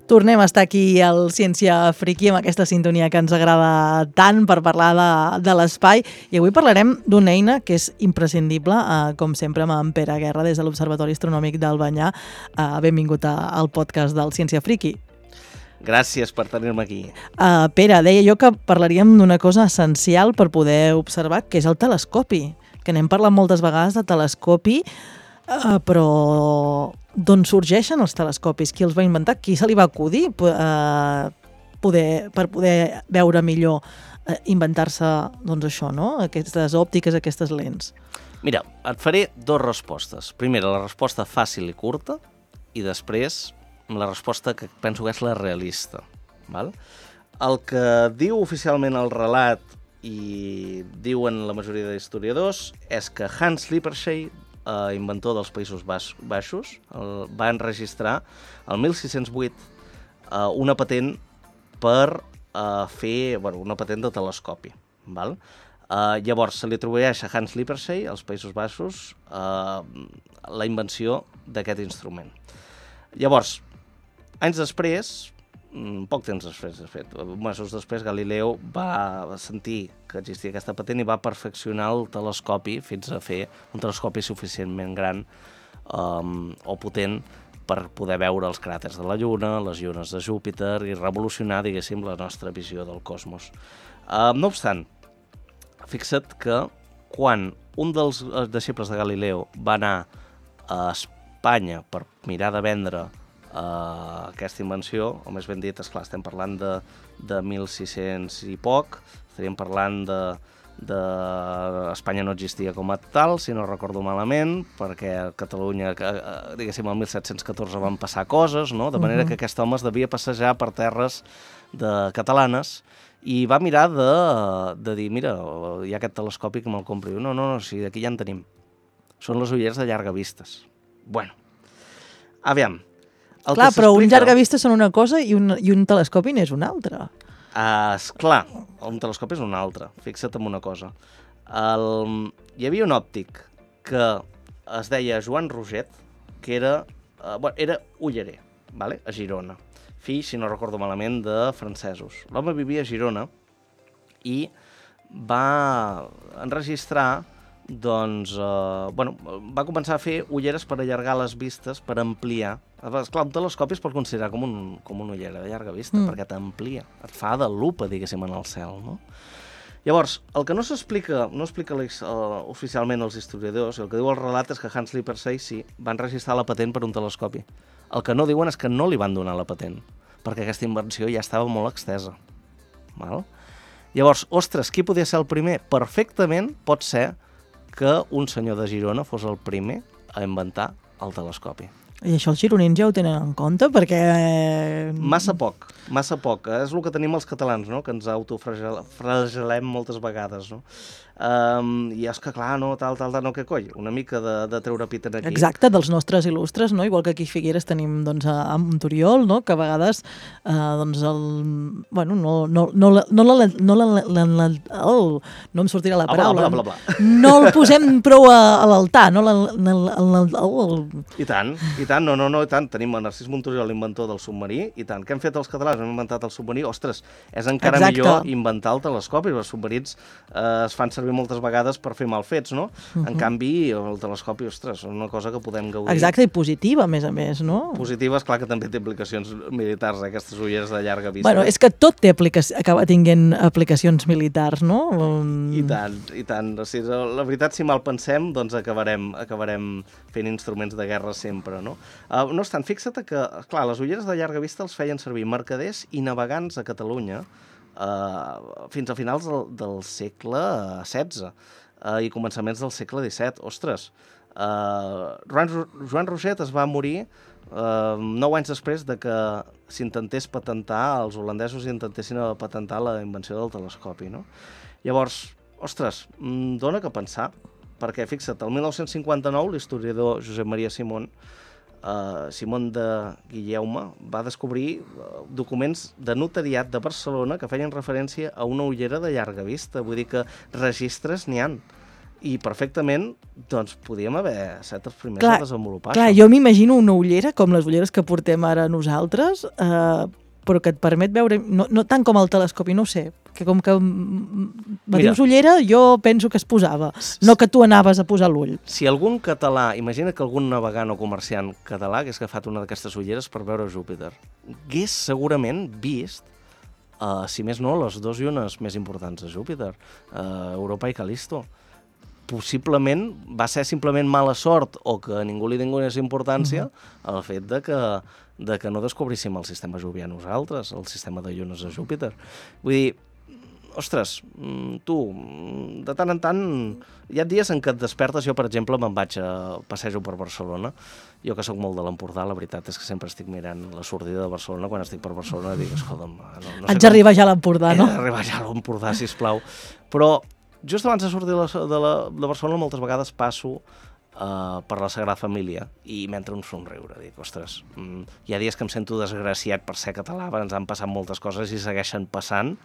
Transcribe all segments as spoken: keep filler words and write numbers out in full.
Tornem a estar aquí al Ciència Friki amb aquesta sintonia que ens agrada tant per parlar de, de l'espai, i avui parlarem d'una eina que és imprescindible, eh, com sempre amb en Pere Guerra des de l'Observatori Astronòmic d'Albanyà. Eh, benvingut a, al podcast del Ciència Friki. Gràcies per tenir-me aquí. Uh, Pere, deia jo que parlaríem d'una cosa essencial per poder observar, que és el telescopi, que n'hem parlat moltes vegades de telescopi, uh, però d'on sorgeixen els telescopis? Qui els va inventar? Qui se li va acudir uh, poder, per poder veure millor, uh, inventar-se doncs això, no? Aquestes òptiques, aquestes lents? Mira, et faré dues respostes. Primera, la resposta fàcil i curta, i després la resposta que penso que és la realista. Val? El que diu oficialment el relat i diuen la majoria d'historiadors és que Hans Lippershey, eh, inventor dels Països Baixos, el, va enregistrar el mil sis-cents vuit eh, una patent per eh, fer bueno, una patent de telescopi. Val? Eh, llavors, se li atribueix a Hans Lippershey, als Països Baixos, eh, la invenció d'aquest instrument. Llavors, anys després, poc temps després, de fet, mesos després, Galileu va sentir que existia aquesta patent i va perfeccionar el telescopi fins a fer un telescopi suficientment gran um, o potent per poder veure els cràters de la Lluna, les llunes de Júpiter i revolucionar, diguéssim, la nostra visió del cosmos. Uh, no obstant, fixa't que quan un dels deixebles de Galileu va anar a Espanya per mirar de vendre Uh, aquesta invenció, o més ben dit, esclar, estem parlant de, de mil sis-cents i poc, estaríem parlant de, de... Espanya no existia com a tal, si no recordo malament, perquè a Catalunya, uh, diguéssim, el mil set-cents catorze van passar coses, no? De manera uh-huh. que aquest home es devia passejar per terres de catalanes i va mirar de, de dir, mira, hi ha aquest telescopi que me'l compri. No, no, no, sí, d'aquí ja en tenim. Són les ulleres de llarga vistes. Bueno, aviam. El clar, però un llargavista són una cosa i un, i un telescopi n'és una altra. Uh, esclar, un telescopi és una altra. Fixa't en una cosa. El... Hi havia un òptic que es deia Joan Roget, que era, uh, bueno, era ullerer, vale? A Girona. Fill, si no recordo malament, de francesos. L'home vivia a Girona i va enregistrar doncs, eh, bueno, va començar a fer ulleres per allargar les vistes, per ampliar. Esclar, un telescopi es pot considerar com, un, com una ullera de llarga vista, mm. perquè t'amplia, et fa de lupa, diguéssim, en el cel, no? Llavors, el que no s'explica, no explica uh, oficialment els historiadors, el que diu el relat és que Hans Lippershey sí, va enregistrar la patent per un telescopi. El que no diuen és que no li van donar la patent, perquè aquesta invenció ja estava molt extesa. Val? Llavors, ostres, qui podia ser el primer? Perfectament pot ser que un senyor de Girona fos el primer a inventar el telescopi. I això els gironins ja ho tenen en compte, perquè... Massa poc, massa poc. És el que tenim els catalans, no? Que ens autoflagelem moltes vegades, no? Um, I és que, clar, no, tal, tal, tal, no, què coi? Una mica de, de treure pit en aquí. Exacte, dels nostres il·lustres, no? Igual que aquí a Figueres tenim, doncs, a, a Montoriol, no? Que a vegades, eh, doncs, el... Bueno, no, no, no, no, no, la, no, la, la, la, oh, no em sortirà la paraula. Bla, bla, bla, bla. No el posem prou a, a l'altar, no? La, la, la, la, oh. I tant, i tant, no, no, no, i tant. Tenim a Narcís Montoriol, l'inventor del submarí, i tant. Què hem fet els catalans? Hem inventat el submarí. Ostres, és encara Exacte. millor inventar el telescopi. Els submarins eh, es fan servir moltes vegades per fer mal fets, no? Uh-huh. En canvi, el telescopi, ostres, és una cosa que podem gaudir. Exacte, i positiva, a més a més, no? Positiva, esclar que també té aplicacions militars, eh, aquestes ulleres de llarga vista. Bueno, és que tot té aplicac- acaba tinguent aplicacions militars, no? Um... I tant, i tant. O sigui, la veritat, si mal pensem, doncs acabarem, acabarem fent instruments de guerra sempre, no? Uh, no obstant, fixa't que, clar, les ulleres de llarga vista els feien servir mercaders i navegants a Catalunya Uh, fins a finals del, del segle setze uh, i començaments del segle disset. Ostres, uh, Joan, Joan Roget es va morir uh, nou anys després de que s'intentés patentar, els holandesos intentessin patentar la invenció del telescopi, no? Llavors, ostres, dona que pensar, perquè fixa't, el mil nou-cents cinquanta-nou l'historiador Josep Maria Simón Uh, Simón de Guillaume va descobrir uh, documents de notariat de Barcelona que feien referència a una ullera de llarga vista, vull dir que registres n'hi han. i perfectament doncs, podíem haver set els primers clar, a desenvolupar clar, això. jo m'imagino una ullera, com les ulleres que portem ara nosaltres, eh, però que et permet veure, no, no tant com el telescopi, no ho sé, que com que me dius ullera, jo penso que es posava, no que tu anaves a posar l'ull. Si algun català, imagina que algun navegant o comerciant català hagués agafat una d'aquestes ulleres per veure Júpiter, hagués segurament vist, uh, si més no, les dues llunes més importants de Júpiter, uh, Europa i Cal·listo. Possiblement va ser simplement mala sort o que ningú li donés importància uh-huh. el fet de que, de que no descobríssim el sistema jovià nosaltres, el sistema de llunes de Júpiter. Vull dir, ostres, tu, de tant en tant, hi ha dies en què et despertes, jo per exemple me'n vaig a passejo per Barcelona, jo que sóc molt de l'Empordà, la veritat és que sempre estic mirant la sortida de Barcelona, quan estic per Barcelona dic, escolta'm... No, no Haig d'arribar ja a l'Empordà, no? He d'arribar ja a l'Empordà, sisplau. Però just abans de sortir de, la, de, la, de Barcelona moltes vegades passo uh, per la Sagrada Família i m'entra un somriure. Dic, ostres, mm, hi ha dies que em sento desgraciat per ser català, ens han passat moltes coses i segueixen passant,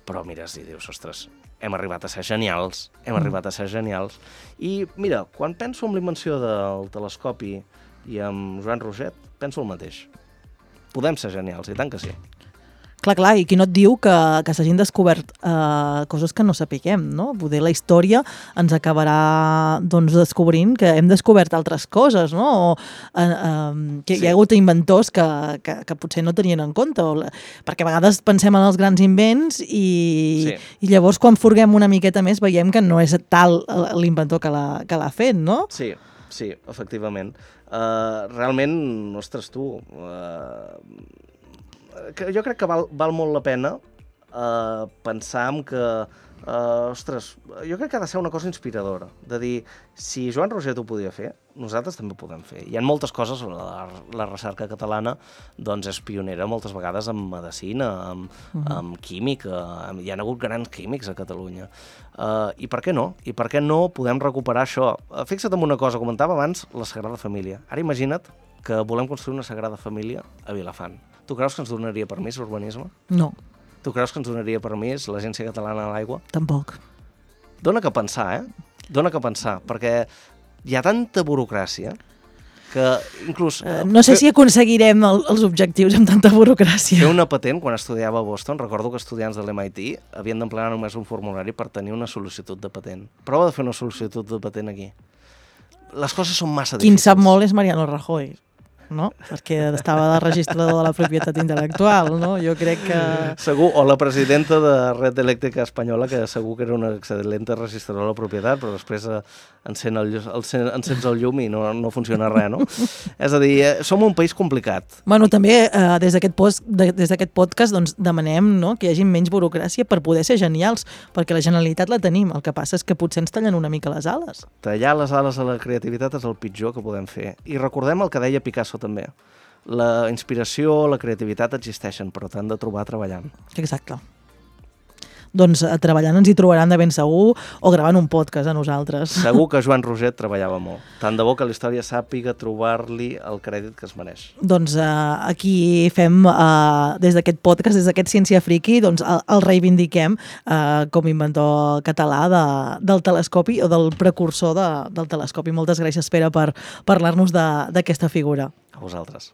però mires i dius, ostres, hem arribat a ser genials, hem mm. arribat a ser genials. I mira, quan penso en la invenció del telescopi i amb Joan Roget, penso el mateix. Podem ser genials, i tant que sí. Clar, clar, i qui no et diu que, que s'hagin descobert eh, coses que no sapiguem, no? Poder la història ens acabarà doncs, descobrint que hem descobert altres coses, no? O eh, eh, que sí. Hi ha hagut inventors que, que, que potser no tenien en compte, o, perquè a vegades pensem en els grans invents i, sí. i llavors quan furguem una miqueta més veiem que no és tal l'inventor que l'ha que l'ha fet, no? Sí, sí, efectivament. Uh, realment, ostres, tu... Uh... Que jo crec que val, val molt la pena uh, pensar en que, uh, ostres, jo crec que ha de ser una cosa inspiradora, de dir, si Joan Roget ho podia fer, nosaltres també ho podem fer. Hi ha moltes coses, la, la recerca catalana doncs és pionera moltes vegades en medicina, en, uh-huh. en química, en, hi ha hagut grans químics a Catalunya. Uh, I per què no? I per què no podem recuperar això? Uh, fixa't en una cosa, comentava abans la Sagrada Família. Ara imagina't que volem construir una Sagrada Família a Vilafant. Tu creus que ens donaria permís l'urbanisme? No. Tu creus que ens donaria permís l'Agència Catalana de l'Aigua? Tampoc. Dóna que pensar, eh? Dóna que pensar, perquè hi ha tanta burocràcia que inclús... Uh, no sé fer... si aconseguirem el, els objectius amb tanta burocràcia. Fer una patent, quan estudiava a Boston, recordo que estudiants de l'M I T havien d'emplenar només un formulari per tenir una sol·licitud de patent. Prova de fer una sol·licitud de patent aquí. Les coses són massa difícils. Qui en sap molt és Mariano Rajoy, no? Perquè estava de registrador de la propietat intel·lectual, no? Jo crec que... Segur, o la presidenta de Red Elèctrica Espanyola, que segur que era una excel·lent registradora de la propietat, però després eh, encén el, el, encens el llum i no, no funciona res, no? És a dir, eh, som un país complicat. Bueno, també eh, des d'aquest post, de, des d'aquest podcast doncs, demanem, no?, que hi hagi menys burocràcia per poder ser genials, perquè la genialitat la tenim, el que passa és que potser ens tallen una mica les ales. Tallar les ales a la creativitat és el pitjor que podem fer. I recordem el que deia Picasso també. La inspiració, la creativitat existeixen, però t'han de trobar treballant. Exacte. Doncs eh, treballant ens hi trobaran de ben segur, o gravant un podcast a nosaltres. Segur que Joan Roget treballava molt. Tant de bo que la història sàpiga trobar-li el crèdit que es mereix. Doncs eh, aquí fem, eh, des d'aquest podcast, des d'aquest Ciència Friki, doncs el, el reivindiquem eh, com a inventor català de, del telescopi o del precursor de, del telescopi. Moltes gràcies, Pere, per parlar-nos d'aquesta figura. A vosaltres.